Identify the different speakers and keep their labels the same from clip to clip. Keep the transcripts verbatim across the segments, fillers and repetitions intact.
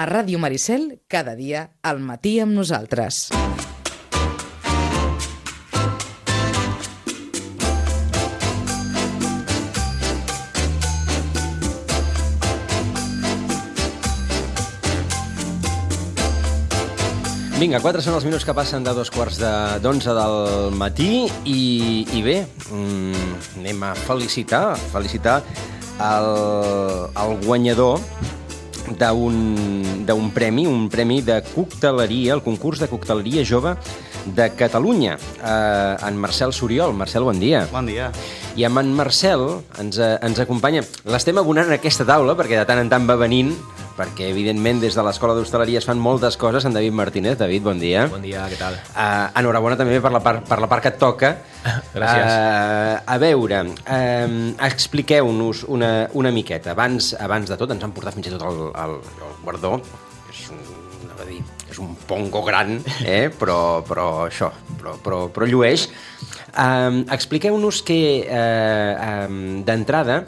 Speaker 1: A Ràdio Maricel, cada dia, al matí amb nosaltres.
Speaker 2: Vinga, quatre són els minuts que passen de dos quarts d'onze del matí i, i bé, mm, anem a felicitar, felicitar el, el guanyador d'un premi, un premi de cocteleria, el concurs de cocteleria jove de Catalunya, eh, en Marcel Soriol. Marcel, bon dia.
Speaker 3: Bon dia.
Speaker 2: I amb en Marcel ens, ens acompanya. L'estem abonant en aquesta taula perquè de tant en tant va venint, perquè evidentment des de l'Escola d'Hostaleria es fan moltes coses. En David Martínez. David, bon dia.
Speaker 4: Bon dia, què tal?
Speaker 2: Uh, enhorabona també per la part, per la part que et toca.
Speaker 4: Gràcies.
Speaker 2: Uh, a veure, uh, expliqueu-nos una, una miqueta. Abans, abans de tot, ens han portat fins i tot el, el, el guardó. És un, anava a dir, és un pongo gran, eh? però, però això, però, però, però llueix. Uh, expliqueu-nos que, uh, um, d'entrada,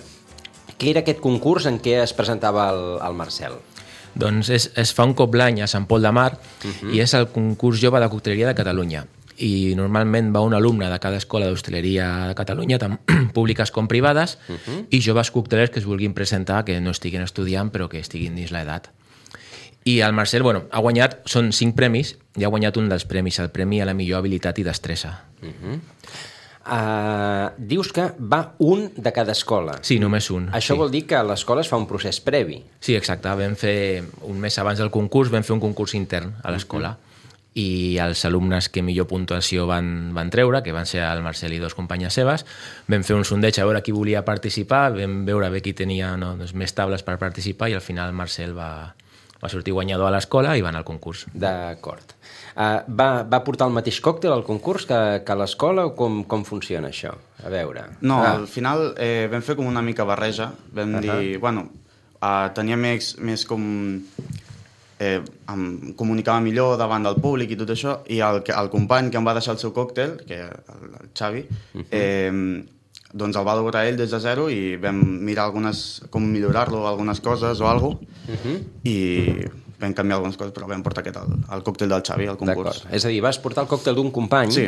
Speaker 2: què era aquest concurs en què es presentava el, el Marcel?
Speaker 4: Doncs es, es fa un cop l'any a Sant Pol de Mar uh-huh. i és el concurs jove de cocteleria de Catalunya. I normalment va un alumne de cada escola d'hostaleria de Catalunya, tant públiques com privades, uh-huh. i joves coctelers que es vulguin presentar, que no estiguin estudiant però que estiguin dins l'edat. I el Marcel, bueno, ha guanyat, són cinc premis, i ha guanyat un dels premis, el premi a la millor habilitat i destressa.
Speaker 2: Uh-huh. Uh, dius que va un de cada escola.
Speaker 4: Sí, només un.
Speaker 2: Això
Speaker 4: sí.
Speaker 2: vol dir que a l'escola es fa un procés previ.
Speaker 4: Sí, exacte. Vam fer, un mes abans del concurs, vam fer un concurs intern a l'escola. Uh-huh. I els alumnes que millor puntuació van, van treure, que van ser el Marcel i dos companyes seves, vam fer un sondeig a veure qui volia participar, vam veure bé qui tenia no, doncs, més tables per participar, i al final el Marcel va, va sortir guanyador a l'escola i va anar al concurs.
Speaker 2: D'acord. Uh, va, va portar el mateix còctel al concurs que, que a l'escola o com, com funciona això? A veure.
Speaker 3: No,
Speaker 2: ah.
Speaker 3: al final eh, vam fer com una mica barreja. Vam uh-huh. dir, bueno, uh, tenia més, més com... Eh, em comunicava millor davant del públic i tot això, i el, el company que em va deixar el seu còctel, que el, el Xavi, uh-huh. eh, doncs el va elaborar ell des de zero i vam mirar algunes, com millorar-lo, algunes coses o alguna cosa, uh-huh. i vam canviar algunes coses, però vam portar aquest, el, el còctel del Xavi al concurs.
Speaker 2: És a dir, vas portar el còctel d'un company
Speaker 3: sí.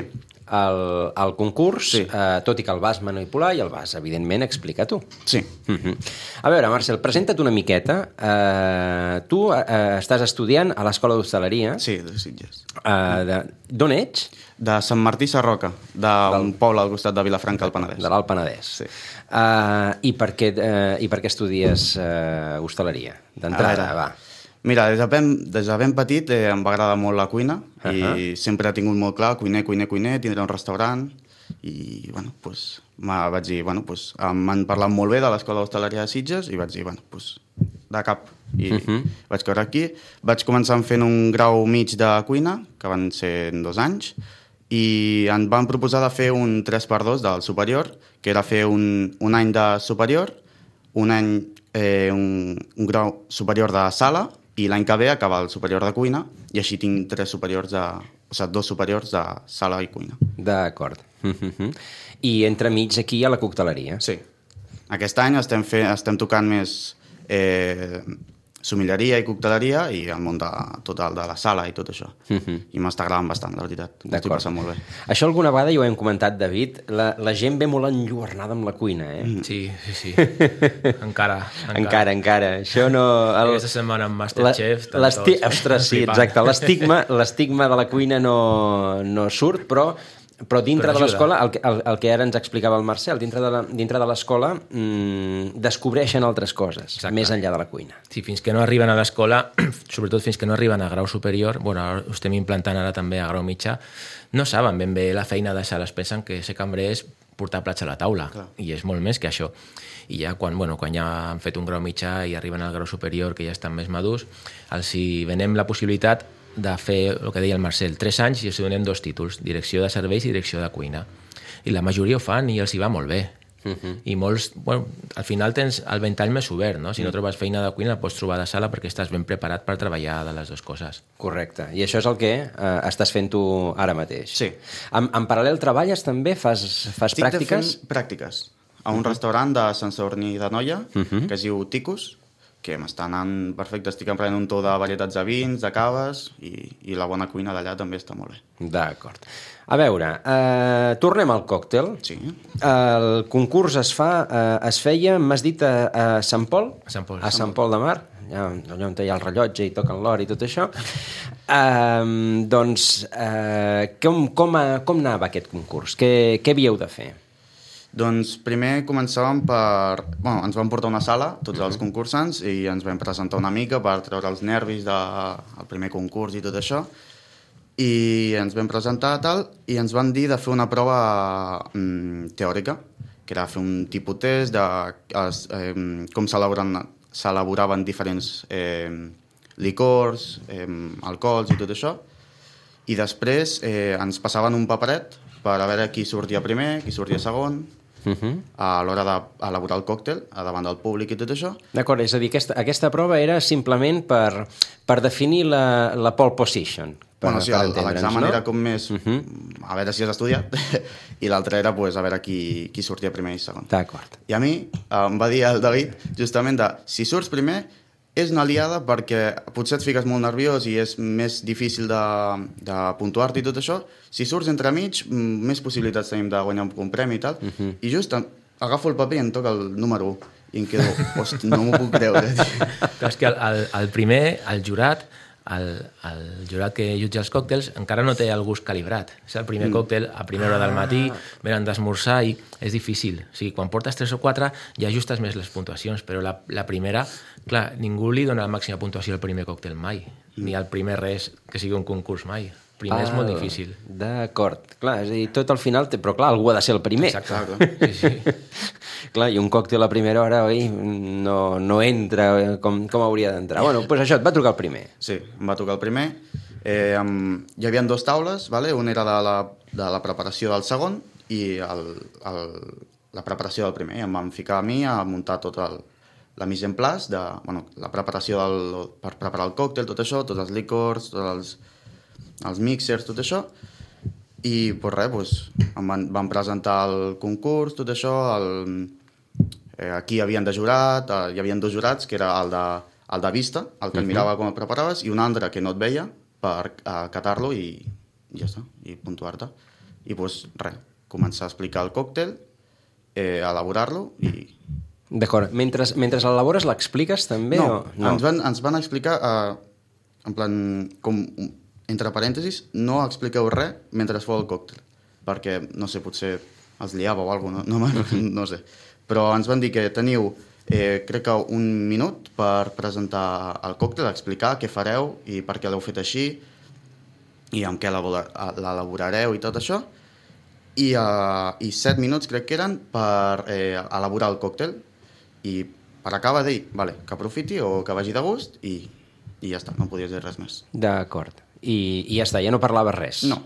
Speaker 2: al, al concurs,
Speaker 3: sí.
Speaker 2: eh, tot i que el vas manipular i el vas, evidentment, explicar tu.
Speaker 3: Sí.
Speaker 2: Uh-huh. A veure, Marcel, presenta't una miqueta. Uh, tu uh, estàs estudiant a l'Escola d'Hostaleria.
Speaker 3: Sí, de Sitges.
Speaker 2: Uh, D'on ets?
Speaker 3: De Sant Martí Sarroca, d'un poble al costat de Vilafranca, al Penedès.
Speaker 2: De l'Alt Penedès.
Speaker 3: Sí.
Speaker 2: Uh, i, per què, uh, I per què estudies uh, hostaleria? D'entrada, va.
Speaker 3: Mira, des de ben, des de ben petit eh, em va agradar molt la cuina uh-huh. i sempre he tingut molt clar, cuiner, cuiner, cuiner, tindré un restaurant i, bueno, pues, vaig dir, bueno, pues, m'han parlat molt bé de l'Escola d'Hostaleria de Sitges i vaig dir, bueno, pues, de cap. I uh-huh. vaig caure aquí. Vaig començar fent un grau mig de cuina, que van ser dos anys, i em van proposar de fer un tres per dos del superior, que era fer un, un any de superior, un any, eh, un, un grau superior de sala, i l'any que ve acabar el superior de cuina, i així tinc tres superiors de... O sigui, dos superiors de sala i cuina.
Speaker 2: D'acord. Uh-huh. I entremig aquí a la cocteleria.
Speaker 3: Sí. Aquest any estem, fe... estem tocant més eh, somilleria i cocteleria i el món de, total de la sala i tot això. Uh-huh. I m'està agradant bastant, la veritat. M'estic passant molt bé.
Speaker 2: Això alguna vegada ja ho hem comentat, David, la, la gent ve molt enlluernada amb la cuina, eh?
Speaker 4: Mm. Sí, sí, sí. encara, encara.
Speaker 2: Encara, encara. Això no...
Speaker 4: El... Aquesta setmana amb Masterchef...
Speaker 2: La, ostres, sí, exacte. L'estigma, l'estigma de la cuina no, no surt, però... Però dintre però de l'escola, el, el, el que ara ens explicava el Marcel, dintre de, la, dintre de l'escola mmm, descobreixen altres coses, exacte. Més enllà de la cuina.
Speaker 4: Sí, fins que no arriben a l'escola, sobretot fins que no arriben a grau superior, bueno, ho estem implantant ara també a grau mitjà, no saben ben bé la feina de sala, es pensen que ser cambrer és portar plats a la taula, clar. I és molt més que això. I ja quan, bueno, quan ja han fet un grau mitjà i arriben al grau superior, que ja estan més madurs, els hi venem la possibilitat de fer el que deia el Marcel, tres anys i els donem dos títols, direcció de serveis i direcció de cuina. I la majoria ho fan i els hi va molt bé. Uh-huh. I molts, bueno, al final tens el ventall més obert, no? Si no trobes feina de cuina, la pots trobar de sala perquè estàs ben preparat per treballar de les dues coses.
Speaker 2: Correcte. I això és el que eh, estàs fent tu ara mateix.
Speaker 3: Sí.
Speaker 2: En, en paral·lel treballes també? Fas, fas
Speaker 3: Estic
Speaker 2: pràctiques?
Speaker 3: Estic fent pràctiques a un uh-huh. restaurant de Sant Sadurní d'Anoia, uh-huh. que es diu Ticus, que m'està anant perfecte. Estic emprenent un to de varietats de vins, de caves, i, i la bona cuina d'allà també està molt bé.
Speaker 2: D'acord. A veure, eh, tornem al còctel.
Speaker 3: Sí.
Speaker 2: El concurs es fa, eh, es feia, m'has dit, a, a Sant Pol?
Speaker 4: A Sant Pol.
Speaker 2: A Sant Pol de Mar, allà, allà on hi ha el rellotge i toquen l'or i tot això. Eh, doncs, eh, com, com, a, com anava aquest concurs? Què, què havíeu de fer?
Speaker 3: Doncs primer començàvem per... Bueno, ens vam portar una sala, tots els concursants, i ens vam presentar una mica per treure els nervis del primer concurs i tot això. I ens vam presentar tal, i ens van dir de fer una prova mm, teòrica, que era fer un tipus test de es, eh, com s'elaboraven diferents eh, licors, eh, alcohols i tot això. I després eh, ens passaven un paperet per a veure qui sortia primer, qui sortia segon, Uh-huh. a l'hora d'elaborar el còctel, a davant del públic i tot això.
Speaker 2: D'acord, és a dir, aquesta, aquesta prova era simplement per, per definir la, la pole position. Per,
Speaker 3: Bueno, sí, l'examen
Speaker 2: no?
Speaker 3: era com més
Speaker 2: Uh-huh.
Speaker 3: a veure si has estudiat, i l'altre era pues, a veure qui, qui sortia primer i segon.
Speaker 2: D'acord.
Speaker 3: I a mi em va dir el David justament de, si surts primer, és una liada perquè potser et fiques molt nerviós i és més difícil de, de puntuar-te i tot això. Si surts entremig, més possibilitats tenim de guanyar un premi i tal. Uh-huh. I just agafo el paper i em toca el número u. I em quedo, hosti, no m'ho puc creure.
Speaker 4: Clar, és que el, el, el primer, el jurat, el, el jurat que jutja els còctels encara no té el gust calibrat. És el primer mm. còctel a primera hora del matí, venen d'esmorzar i és difícil. O sigui, quan portes tres o quatre ja ajustes més les puntuacions, però la, la primera, clar, ningú li dona la màxima puntuació al primer còctel mai, mm. ni al primer res que sigui un concurs mai. Primer ah, és molt difícil.
Speaker 2: D'acord. Clar, és a dir, tot al final... Té... Però clar, algú ha de ser el primer.
Speaker 3: Exacte.
Speaker 4: Sí, sí.
Speaker 2: Clar, i un còctel a primera hora, oi, no, no entra com, com hauria d'entrar. Bueno, doncs això, et va trucar el primer.
Speaker 3: Sí, em va tocar el primer. Eh, amb... Hi havia dues taules, vale? Una era de la, de la preparació del segon i el, el, la preparació del primer. Em van ficar a mi a muntar tot el, la mise en place, de, bueno, la preparació del, per preparar el còctel, tot això, tots els licors, tots els... els mixers, tot això, i pues res, pues, em van, van presentar el concurs, tot això, el, eh, aquí hi havien de jurat, eh, hi havia dos jurats, que era el de, el de vista, el que et mirava com et preparaves, i un altre que no et veia per acatar-lo i, i ja està, i puntuar-te. I pues res, començar a explicar el còctel, eh, elaborar-lo i...
Speaker 2: D'acord, mentre, mentre l'elabores l'expliques també?
Speaker 3: No,
Speaker 2: o... no.
Speaker 3: Ens, van, ens van explicar, eh, en plan, com... entre parèntesis, no expliqueu res mentre es feu el còctel, perquè, no sé, potser els liava o alguna cosa, no, no, no sé. Però ens van dir que teniu, eh, crec que un minut per presentar el còctel, explicar què fareu i per què l'heu fet així, i amb què l'elaborareu i tot això, i, uh, i set minuts crec que eren per eh, elaborar el còctel, i per acabar de dir, vale, que aprofiti o que vagi de gust, i, i ja està, no podies dir res més.
Speaker 2: D'acord. I, i ja està, ja no parlava res.
Speaker 3: No.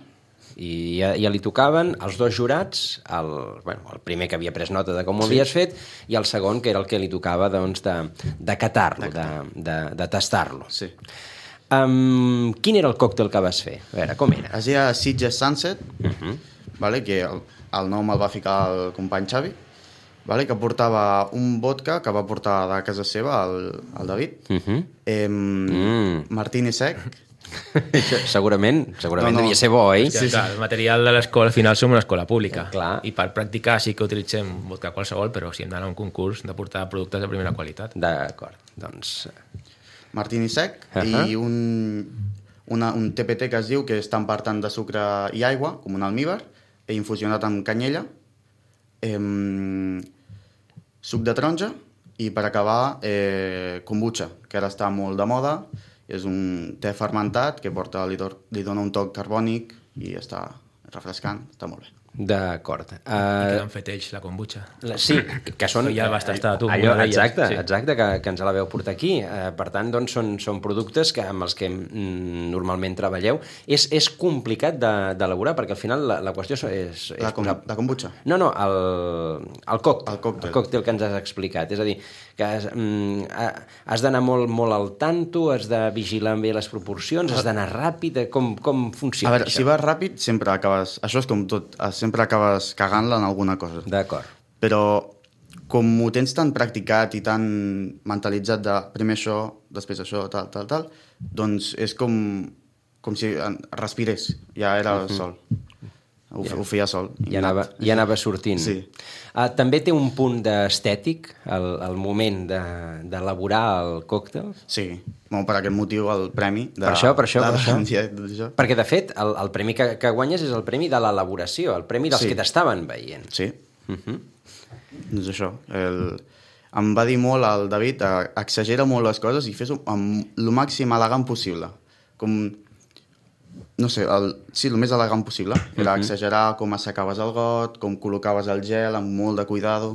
Speaker 2: I ja, ja li tocaven els dos jurats, el, bueno, el primer que havia pres nota de com ho
Speaker 3: Sí.
Speaker 2: havies fet, i el segon que era el que li tocava doncs, de, de catar-lo, de, de, de tastar-lo.
Speaker 3: Sí.
Speaker 2: Um, quin era el còctel que vas fer? A veure, com era?
Speaker 3: Es deia Sitges Sunset,
Speaker 2: Uh-huh.
Speaker 3: vale, que el, el nom el va ficar el company Xavi, vale, que portava un vodka que va portar de casa seva el, el David,
Speaker 2: Uh-huh.
Speaker 3: eh,
Speaker 2: Mm.
Speaker 3: martini sec.
Speaker 2: segurament, segurament
Speaker 3: No, no.
Speaker 2: devia ser bo, oi?
Speaker 4: Sí, clar, el material de l'escola, al final som una escola pública.
Speaker 2: Clar.
Speaker 4: I per practicar sí que utilitzem vodka qualsevol, però si hem d'anar a un concurs de portar productes de primera qualitat.
Speaker 2: D'acord, doncs...
Speaker 3: Martini sec,
Speaker 2: Uh-huh.
Speaker 3: i un, una, un T P T que es diu que és tant per tant de sucre i aigua, com un almíbar, he infusionat amb canyella, eh, suc de taronja, i per acabar eh, kombucha, que ara està molt de moda, és un te fermentat que porta, li, do, li dona un toc carbònic i està refrescant, està molt bé.
Speaker 2: D'acord.
Speaker 4: I queda
Speaker 2: Uh,
Speaker 4: en feteix, la kombucha.
Speaker 2: la- sí, que són...
Speaker 4: Que ja vas tastar tu,
Speaker 2: Allò,
Speaker 4: una d'elles,
Speaker 2: exacte,
Speaker 4: sí.
Speaker 2: exacte, que, que ens la veu portar aquí. Uh, per tant, doncs, són, són productes que, amb els que mm, normalment treballeu. És, és complicat de- d'elaborar, perquè al final la, la qüestió és... és
Speaker 3: La, com,
Speaker 2: posar-
Speaker 3: la kombucha.
Speaker 2: No, no, el, el còctel,
Speaker 3: El còctel.
Speaker 2: el còctel que ens has explicat. És a dir, que has, mm, ha- has d'anar molt, molt al tanto, has de vigilar bé les proporcions, has d'anar ràpid, eh, com, com funciona
Speaker 3: A veure,
Speaker 2: això?
Speaker 3: si vas ràpid, sempre acabes... Això és com tot, sempre acabes cagant-la en alguna cosa.
Speaker 2: D'acord.
Speaker 3: Però com ho tens tan practicat i tan mentalitzat de primer això, després això, tal, tal, tal, doncs és com, com si respirés, ja era uh-huh. sol. Ho, ja. ho feia sol.
Speaker 2: Ja anava, ja anava sortint.
Speaker 3: Sí.
Speaker 2: Uh, també té un punt d'estètic, el, el moment d'elaborar de, el còctel?
Speaker 3: Sí, bueno, per aquest motiu el premi. De,
Speaker 2: per això, per això,
Speaker 3: de,
Speaker 2: per això.
Speaker 3: De, de, de, de,
Speaker 2: Perquè, de fet, el, el premi que, que guanyes és el premi de l'elaboració, el premi dels sí. que t'estaven veient.
Speaker 3: Sí.
Speaker 2: Uh-huh.
Speaker 3: Doncs això. El, em va dir molt el David, exagera molt les coses i fes-ho amb el màxim elegant possible. Com... No sé, el, sí, el més elegant possible. Era uh-huh. exagerar com assecaves el got, com col·locaves el gel amb molt de cuidado,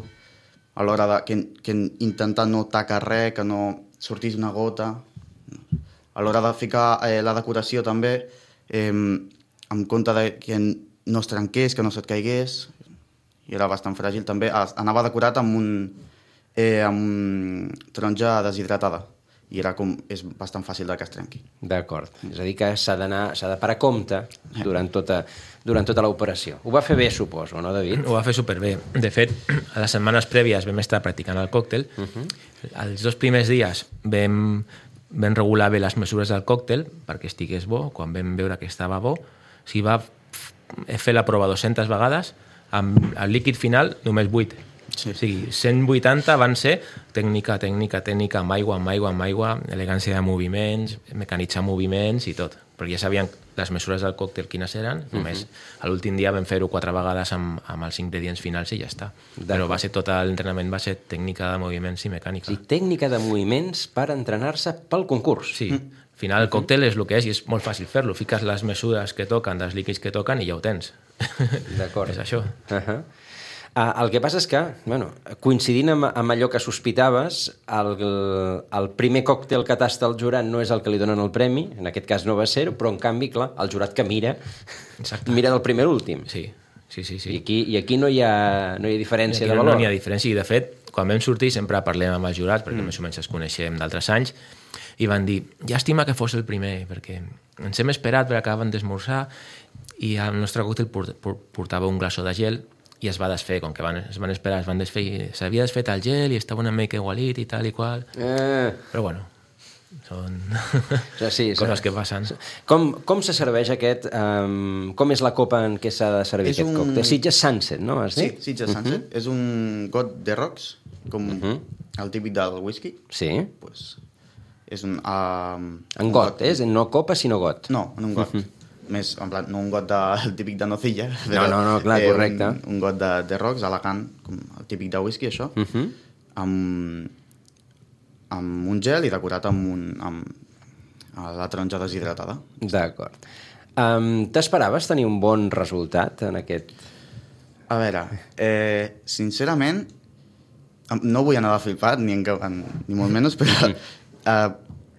Speaker 3: a l'hora de que, que intentar no tacar res, que no sortís una gota. A l'hora de ficar eh, la decoració també, eh, en compte de que no es trenqués, que no se't caigués, i era bastant fràgil també. Anava decorat amb un, eh, amb un taronja deshidratada. I era com, és bastant fàcil de que es trenqui.
Speaker 2: D'acord. És a dir, que s'ha d'anar, s'ha de parar compte durant tota, durant tota l'operació. Ho va fer bé, suposo, no, David?
Speaker 4: Ho va fer superbé. De fet, a les setmanes prèvies vam estar practicant el còctel. Uh-huh. Els dos primers dies vam, vam regular bé les mesures del còctel perquè estigués bo. Quan vam veure que estava bo, s'hi va fer la prova dues-centes vegades, amb el líquid final només vuit. Sí. O sigui, cent vuitanta van ser tècnica, tècnica, tècnica, amb aigua, amb aigua, amb aigua, elegància de moviments, mecanitzar moviments i tot. Perquè ja sabien les mesures del còctel quines eren, uh-huh. només a l'últim dia vam fer-ho quatre vegades amb, amb els ingredients finals i ja està. Però va ser tot l'entrenament, va ser tècnica de moviments i mecànica.
Speaker 2: Sí, tècnica de moviments per entrenar-se pel concurs.
Speaker 4: Sí, al final el còctel és el que és i és molt fàcil fer-lo. Fiques les mesures que toquen, dels líquids que toquen i ja ho tens.
Speaker 2: D'acord.
Speaker 4: És això.
Speaker 2: Uh-huh. Uh, el que passa és que, bueno, coincidint amb, amb allò que sospitaves, el, el primer còctel que tasta el jurat no és el que li donen el premi, en aquest cas no va ser-ho, però en canvi, clar, el jurat que mira, Exacte. mira del primer a l'últim.
Speaker 4: Sí, sí, sí. sí.
Speaker 2: I, aquí, I aquí no hi ha, no hi ha diferència de
Speaker 4: no,
Speaker 2: valor.
Speaker 4: No hi ha diferència, i de fet, quan vam sortir sempre parlem amb els jurats, perquè mm. més o menys els coneixem d'altres anys, i van dir, llàstima que fos el primer, perquè ens hem esperat perquè acaben d'esmorzar i el nostre còctel portava un glaçó de gel i es va desfer, com que van, es van esperar, es van desfer i s'havia desfet el gel i estava una mica igualit i tal i qual. Eh. Però bueno, són
Speaker 2: ja, sí,
Speaker 4: coses que passen.
Speaker 2: Com, com se serveix aquest... Um, com és la copa en què s'ha de servir és aquest un... còctel? Sitges Sunset, no? Has dit?
Speaker 3: Sí, Sitges Sunset. Uh-huh. És un got de rocks, com uh-huh. el típic del whisky.
Speaker 2: Sí.
Speaker 3: Pues, és un... Uh,
Speaker 2: en un got, got, eh? No copa, sinó got.
Speaker 3: No, en un got. Uh-huh. Més, en plan, no un got de, el típic de nocilla,
Speaker 2: però, no, no, no, clar, correcte.
Speaker 3: Eh, un, un got de, de rocks elegant, com el típic de whisky, això, uh-huh. amb, amb un gel i decorat amb, un, amb la taronja deshidratada.
Speaker 2: D'acord. Um, T'esperaves tenir un bon resultat en aquest...
Speaker 3: A veure, eh, sincerament, no vull anar de flipat, ni, en, ni molt menys, però eh,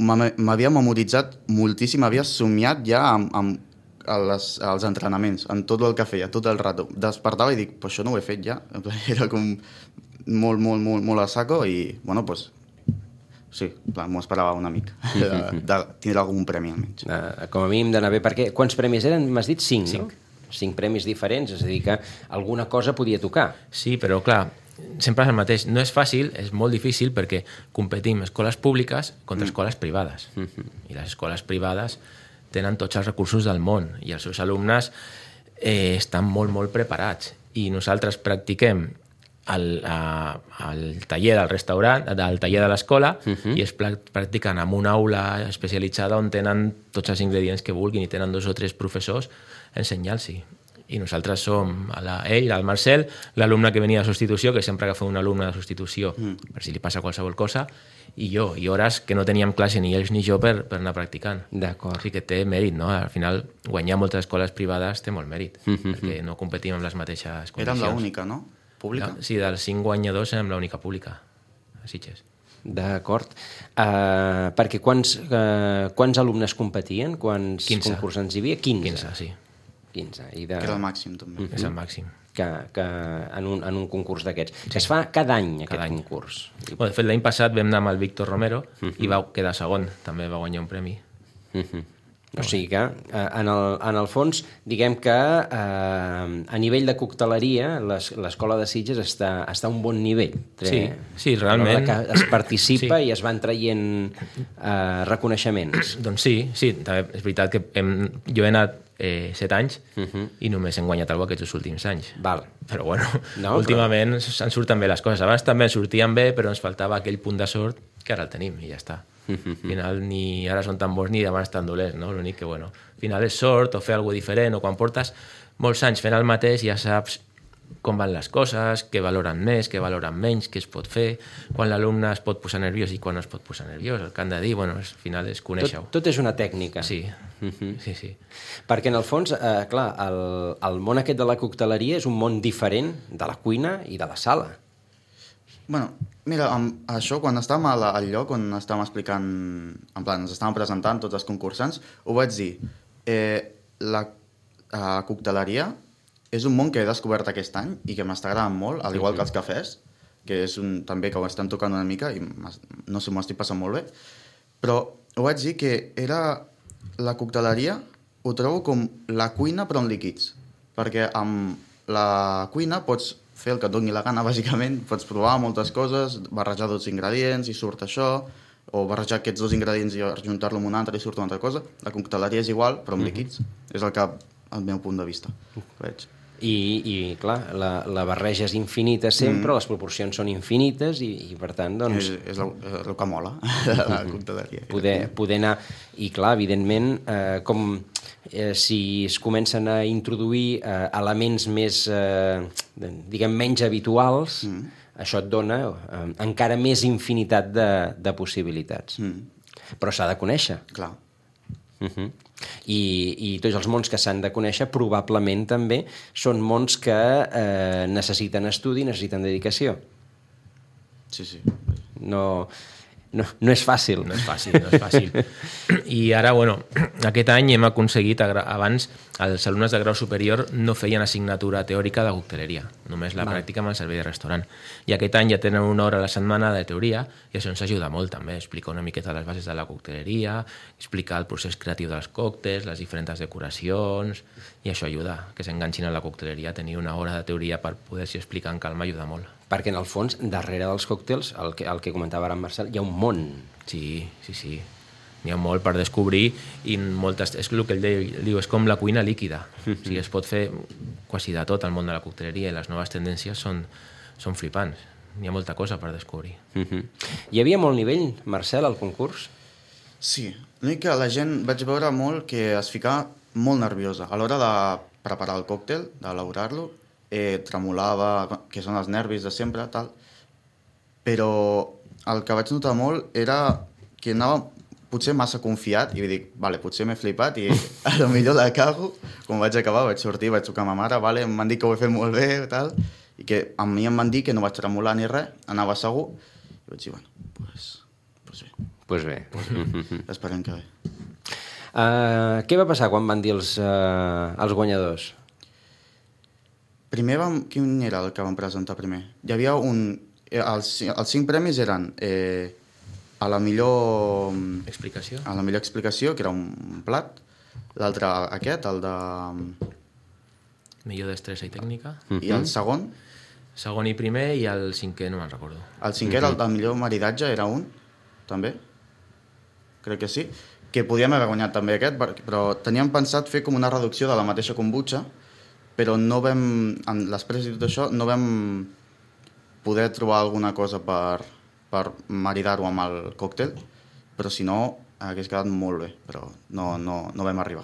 Speaker 3: m'havia memoritzat moltíssim, havia somiat ja amb, amb les, els entrenaments, en tot el que feia, tot el rato. Despertava i dic, pues això no ho he fet ja. Era com molt, molt, molt, molt a saco i, bueno, pues, sí, m'ho esperava una mica, de, de tindre algun premi almenys.
Speaker 2: Uh, com a mínim d'anar bé, perquè quants premis eren? M'has dit cinc, cinc, no? Cinc premis diferents, és a dir que alguna cosa podia tocar.
Speaker 4: Sí, però clar, sempre és el mateix. No és fàcil, és molt difícil perquè competim escoles públiques contra escoles privades. Mm-hmm. I les escoles privades tenen tots els recursos del món i els seus alumnes eh, estan molt, molt preparats. I nosaltres practiquem al, a, al taller del restaurant, del taller de l'escola, uh-huh. i es practiquen en una aula especialitzada on tenen tots els ingredients que vulguin i tenen dos o tres professors ensenyant-s'hi. I nosaltres som a la, ell, el Marcel, l'alumne que venia de substitució, que sempre agafa un alumne de substitució mm. per si li passa qualsevol cosa, i jo, i hores que no teníem classe ni ells ni jo per, per anar practicant.
Speaker 2: D'acord.
Speaker 4: O sigui que té mèrit, no? Al final, guanyar moltes escoles privades té molt mèrit, mm-hmm. perquè no competim amb les mateixes condicions.
Speaker 3: Érem l'única, no? Pública?
Speaker 4: No? Sí, dels cinc guanyadors érem l'única pública, a Sitges.
Speaker 2: D'acord. Uh, perquè quants, uh, quants alumnes competien? Quants
Speaker 4: quinze.
Speaker 2: Concursants hi havia? quinze.
Speaker 4: quinze, sí.
Speaker 2: quinze. I de...
Speaker 3: Que era el màxim, també.
Speaker 4: Mm-hmm. És el màxim.
Speaker 2: Que, que en, un, en un concurs d'aquests. Sí. Que es fa cada any, aquest
Speaker 4: cada any.
Speaker 2: concurs.
Speaker 4: Bueno, de fet, l'any passat vam anar amb el Víctor Romero uh-huh. i va quedar segon. També va guanyar un premi.
Speaker 2: Uh-huh. O sigui que, eh, en, el, en el fons, diguem que eh, a nivell de cocteleria les- l'escola de Sitges està, està a un bon nivell.
Speaker 4: Sí, sí, realment.
Speaker 2: A l'hora que es participa
Speaker 4: Sí.
Speaker 2: i es van traient eh, reconeixements.
Speaker 4: Doncs sí, sí, també és veritat que hem, jo he anat eh, set anys
Speaker 2: Mhm.
Speaker 4: i només hem guanyat alguna aquests últims anys.
Speaker 2: Val.
Speaker 4: Però bueno,
Speaker 2: No,
Speaker 4: no, últimament però... ens surten bé les coses. Abans també ens sortien bé, però ens faltava aquell punt de sort que ara el tenim i ja està. Al final ni ara són tan bons ni demà estan dolents, no? L'únic que, bueno, al final és sort o fer alguna cosa diferent, o quan portes molts anys fent el mateix ja saps com van les coses, què valoren més, què valoren menys, què es pot fer, quan l'alumne es pot posar nerviós i quan no es pot posar nerviós, el que han de dir, bueno, al final és conèixer-ho.
Speaker 2: Tot, tot és una tècnica.
Speaker 4: Sí, sí, sí.
Speaker 2: Perquè, en el fons, eh, clar, el, el món aquest de la cocteleria és un món diferent de la cuina i de la sala.
Speaker 3: Bueno, mira, amb això, quan estàvem a la, al lloc on estàvem explicant, en plan, ens estàvem presentant tots els concursants, ho vaig dir, eh, la eh, cocteleria és un món que he descobert aquest any i que m'està agradant molt, al igual que els cafès, que és un, també que ho estan tocant una mica i no sé, m'ho estic passant molt bé, però ho vaig dir que era la cocteleria, ho trobo com la cuina però en líquids, perquè amb la cuina pots fer el que et doni la gana, bàsicament, pots provar moltes coses, barrejar dos ingredients i surt això, o barrejar aquests dos ingredients i ajuntar-lo amb un altre i surt una altra cosa. La cocteleria és igual, però amb líquids. És el que, al meu punt de vista, veig.
Speaker 2: I, i clar, la, la barreja és infinita sempre, mm. les proporcions són infinites i, i per tant, doncs...
Speaker 3: És, és, el, és el que mola de la cocteleria.
Speaker 2: Poder, poder anar... I clar, evidentment, eh, com eh, si es comencen a introduir eh, elements més, eh, diguem, menys habituals, mm. això et dona eh, encara més infinitat de, de possibilitats.
Speaker 3: Mm.
Speaker 2: Però s'ha de conèixer.
Speaker 3: Clar.
Speaker 2: Uh-huh. I, i tots els mons que s'han de conèixer probablement també són mons que eh, necessiten estudi, necessiten dedicació.
Speaker 3: Sí, sí.
Speaker 2: No, no, no és fàcil.
Speaker 4: No és fàcil, no és fàcil. I ara, bueno, aquest any hem aconseguit, abans els alumnes de grau superior no feien assignatura teòrica de cocteleria, només la
Speaker 2: Val.
Speaker 4: pràctica amb el servei de restaurant. I aquest any ja tenen una hora a la setmana de teoria i això ens ajuda molt també, explicar una miqueta les bases de la cocteleria, explicar el procés creatiu dels còctels, les diferents decoracions, i això ajuda, que s'enganxin a la cocteleria, tenir una hora de teoria per poder-s'hi explicar en calma ajuda molt.
Speaker 2: Perquè, en el fons, darrere dels còctels, el que, el que comentava ara en Marcel, hi ha un món.
Speaker 4: Sí, sí, sí. N'hi ha molt per descobrir i moltes, és el que ell deia, diu, és com la cuina líquida. O sigui, es pot fer quasi de tot al món de la cocteleria i les noves tendències són, són flipants. N'hi ha molta cosa per descobrir.
Speaker 2: Uh-huh. Hi havia molt nivell, Marcel, al concurs?
Speaker 3: Sí, l'únic que la gent vaig veure molt que es ficava molt nerviosa. A l'hora de preparar el còctel, d'elaborar-lo, eh, tremolava, que són els nervis de sempre, tal. Però el que vaig notar molt era que anava potser massa confiat i dic, vale, potser m'he flipat i a lo millor la cago. Quan vaig acabar vaig sortir, vaig trucar a ma mare, vale, em van dir que ho he fet molt bé i tal, i que a mi em van dir que no vaig tremolar ni res, anava segur, i vaig dir, bueno, pues, pues bé.
Speaker 2: Pues bé.
Speaker 3: Pues bé. Esperem que bé.
Speaker 2: Uh, què va passar quan van dir els, uh, els guanyadors?
Speaker 3: Primer vam... Quin era el que vam presentar primer? Hi havia un... Els, els cinc premis eren eh, a la millor...
Speaker 4: Explicació?
Speaker 3: A la millor explicació, que era un plat. L'altre aquest, el de...
Speaker 4: Millor destressa i tècnica.
Speaker 3: I el segon,
Speaker 4: Segon i primer i el cinquè no me'n recordo.
Speaker 3: el cinquè era el del millor maridatge, era un, també. Crec que sí. Que podíem haver guanyat també aquest, però teníem pensat fer com una reducció de la mateixa kombucha, però no vam, després de tot això, no vam poder trobar alguna cosa per, per maridar-ho amb el còctel, però si no, hagués quedat molt bé, però no, no, no vam arribar.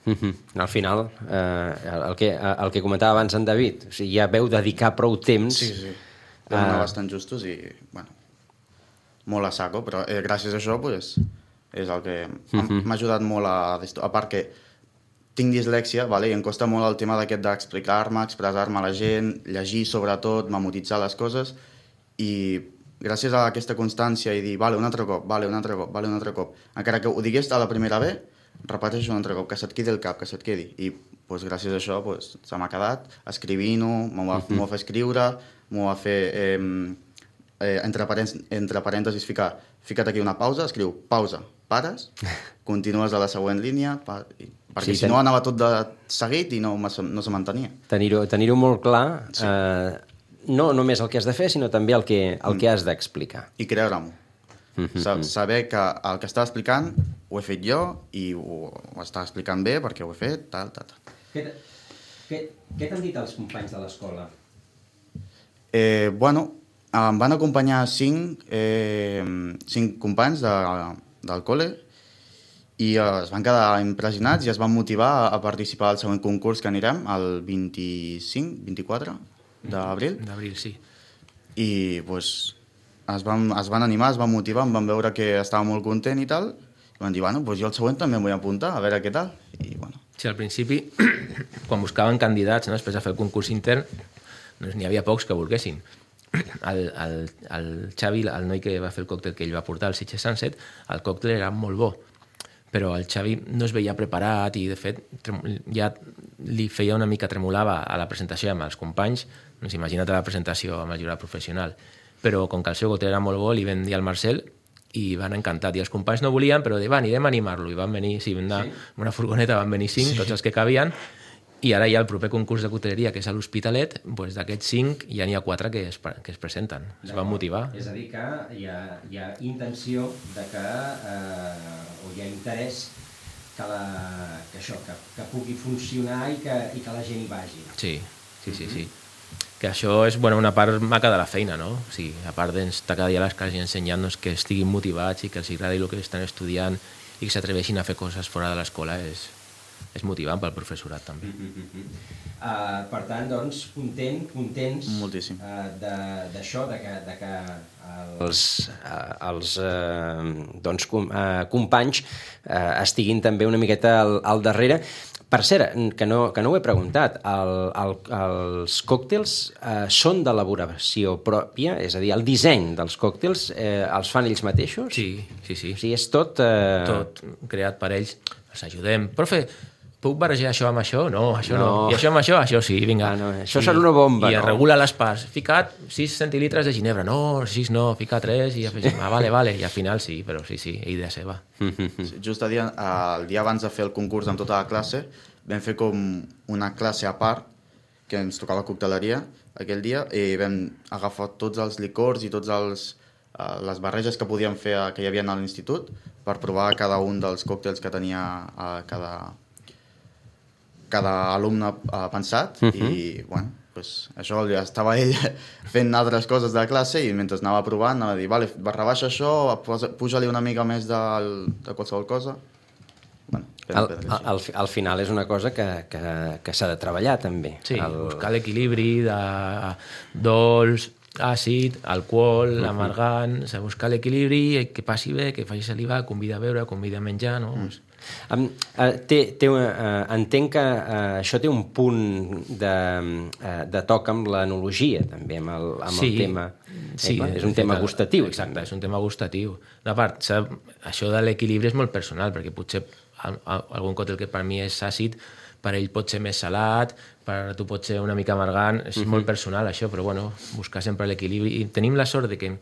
Speaker 2: Uh-huh. Al final, eh, el, que, el que comentava abans en David, o sigui, ja veu dedicar prou temps...
Speaker 3: Sí, sí, vam anar uh... bastant justos i, bueno, molt a saco, però eh, gràcies a això, pues, és el que uh-huh. m'ha ajudat molt a... A part que tinc dislèxia, vale? I em costa molt el tema d'aquest d'explicar-me, expressar-me a la gent, llegir sobretot, memoritzar les coses, i gràcies a aquesta constància i dir, vale, un altre cop, vale, un altre cop, vale, un altre cop, encara que ho digués a la primera ve, repeteixo un altre cop, que se't quedi el cap, que se't quedi. I pues, gràcies a això pues, se m'ha quedat escrivint-ho, m'ho va, uh-huh. va fer escriure, m'ho va fer eh, eh, entre, parèntesis, entre parèntesis ficar, fica't aquí una pausa, escriu pausa, pares, continues a la següent línia, pa, i, perquè
Speaker 2: Sí,
Speaker 3: si
Speaker 2: ten-
Speaker 3: no anava tot de seguit i no, me- no se mantenia.
Speaker 2: Tenir-ho tenir molt clar, sí. eh, no només el que has de fer, sinó també el que, el mm. que has d'explicar.
Speaker 3: I creure-m'ho.
Speaker 2: Mm-hmm.
Speaker 3: Saber que el que estava explicant ho he fet jo i ho, ho estava explicant bé perquè ho he fet, tal, tal, tal.
Speaker 2: Què, què, què t'han dit els companys de l'escola?
Speaker 3: Eh, bueno, em van acompanyar cinc, eh, cinc companys de, del col·le i eh, es van quedar impressionats i es van motivar a, a participar al següent concurs que anirem, el vint-i-cinc, vint-i-quatre d'abril.
Speaker 4: D'abril, sí.
Speaker 3: I pues, es, van, es van animar, es van motivar, em van veure que estava molt content i tal, i van dir, bueno, pues jo el següent també em vull apuntar, a veure què tal. I, bueno.
Speaker 4: Sí, al principi, quan buscaven candidats, no, després de fer el concurs intern, doncs n'hi havia pocs que volguessin. El, el, el Xavi, el noi que va fer el còctel que ell va portar, el Sitges Sunset, el còctel era molt bo, però el Xavi no es veia preparat i, de fet, ja li feia una mica, tremolava a la presentació amb els companys, doncs imagina't la presentació amb el jurat professional. Però com que el seu còctel era molt bo, li vam dir al Marcel i van encantat. I els companys no volien, però de, va, anirem a animar-lo. I van venir, sí, vam anar sí. una furgoneta, van venir cinc, sí. tots els que cabien, i ara hi ha el proper concurs de cocteleria, que és a l'Hospitalet, doncs d'aquests cinc ja n'hi ha quatre que es, que es presenten, es van motivar.
Speaker 2: És a dir, que hi ha, hi ha intenció de que, eh, o hi ha interès que, la, que això, que, que pugui funcionar i que, i que la gent hi vagi.
Speaker 4: Sí, sí, sí, sí. Que això és bueno, una part maca de la feina, no? O sigui, a part d'estar cada dia a les classes i ensenyant-nos que estiguin motivats i que els agradi el que estan estudiant i que s'atreveixin a fer coses fora de l'escola és, és motivant pel professorat també.
Speaker 2: Mm-hmm. uh, per tant, doncs, content, contents
Speaker 3: Moltíssim.
Speaker 2: uh, d'això, de, de, que, de que els, uh, els uh, doncs, com, uh, companys uh, estiguin també una miqueta al, al darrere. Per cert, que no, que no ho he preguntat, el, el, els còctels eh, són d'elaboració pròpia? És a dir, el disseny dels còctels eh, els fan ells mateixos?
Speaker 4: Sí, sí, sí.
Speaker 2: O sigui, és tot... Eh...
Speaker 4: Tot creat per ells. Els ajudem. Profe, puc barrejar això amb això? No, això no.
Speaker 2: No.
Speaker 4: I això amb això? Això sí, vinga.
Speaker 2: Ah, no, això serà una bomba,
Speaker 4: I
Speaker 2: no?
Speaker 4: es regula les parts. Ficat sis centilitres de ginebra. No, sis no, fica tres i afegim. Ah, vale, vale. I al final sí, però sí, sí, idea seva.
Speaker 3: Sí, just el dia, el dia abans de fer el concurs amb tota la classe, vam fer com una classe a part, que ens tocava cocteleria aquell dia, i vam agafar tots els licors i tots els, uh, les barreges que podíem fer, uh, que hi havia a l'institut, per provar cada un dels còctels que tenia uh, cada, cada alumne uh, pensat, uh-huh. i bueno, pues, això ja estava ell fent altres coses de la classe i mentre anava provant anava a dir, vale, rebaixa això, puja-li una mica més de, de qualsevol cosa. Bueno,
Speaker 2: al, al, al final és una cosa que, que, que s'ha de treballar també.
Speaker 4: Sí,
Speaker 2: el...
Speaker 4: buscar l'equilibri de dolç, àcid, alcohol, uh-huh. amargant, buscar l'equilibri, que passi bé, que faci saliva, convida a beure, convida a menjar, no? Uh-huh.
Speaker 2: Um, uh, té, té, uh, entenc que uh, això té un punt de, uh, de toc amb l'enologia també, amb el, amb
Speaker 4: sí,
Speaker 2: el tema
Speaker 4: sí,
Speaker 2: eh, és un tema gustatiu.
Speaker 4: Exacte,
Speaker 2: també.
Speaker 4: És un tema gustatiu. De part, sap, això de l'equilibri és molt personal, perquè potser algun còctel que per mi és àcid, per ell pot ser més salat, per tu pot ser una mica amargant, és uh-huh. molt personal això, però bueno, buscar sempre l'equilibri. I tenim la sort de que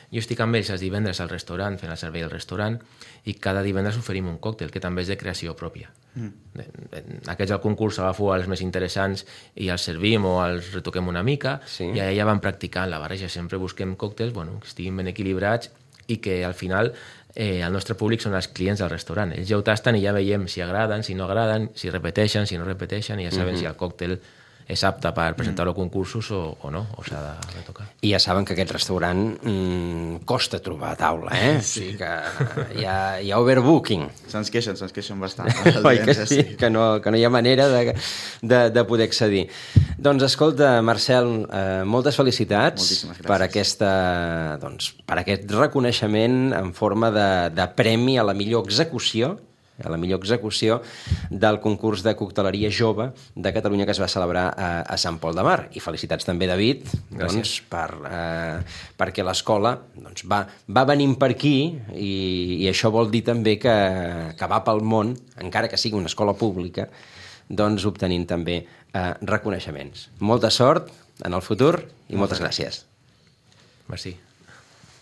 Speaker 4: jo estic amb ells els divendres al restaurant, fent el servei al restaurant, i cada divendres oferim un còctel, que també és de creació pròpia. Mm. Aquests al concurs agafo els més interessants i els servim o els retoquem una mica, sí. I ja van practicant la barreja. Sempre busquem còctels bueno, que estiguin ben equilibrats i que al final eh, el nostre públic són els clients del restaurant. Ells ja ho tasten i ja veiem si agraden, si no agraden, si repeteixen, si no repeteixen, i ja saben mm-hmm. si el còctel és apte per presentar-lo a concursos o, o no, o s'ha de retocar.
Speaker 2: I ja saben que aquest restaurant mmm, costa trobar taula, eh? Sí. O sigui que hi ha, hi ha overbooking.
Speaker 3: Se'ns queixen, se'ns queixen bastant.
Speaker 2: Oi que sí, que no, que no hi ha manera de, de, de poder accedir. Doncs escolta, Marcel, eh, moltes felicitats per, aquesta, doncs, per aquest reconeixement en forma de, de premi a la millor execució a la millor execució del concurs de cocteleria jove de Catalunya que es va celebrar a, a Sant Pol de Mar. I felicitats també, David, doncs, per, eh, perquè l'escola doncs, va, va venint per aquí i, i això vol dir també que, que va pel món, encara que sigui una escola pública, doncs obtenint també eh, reconeixements. Molta sort en el futur i moltes gràcies.
Speaker 4: Merci.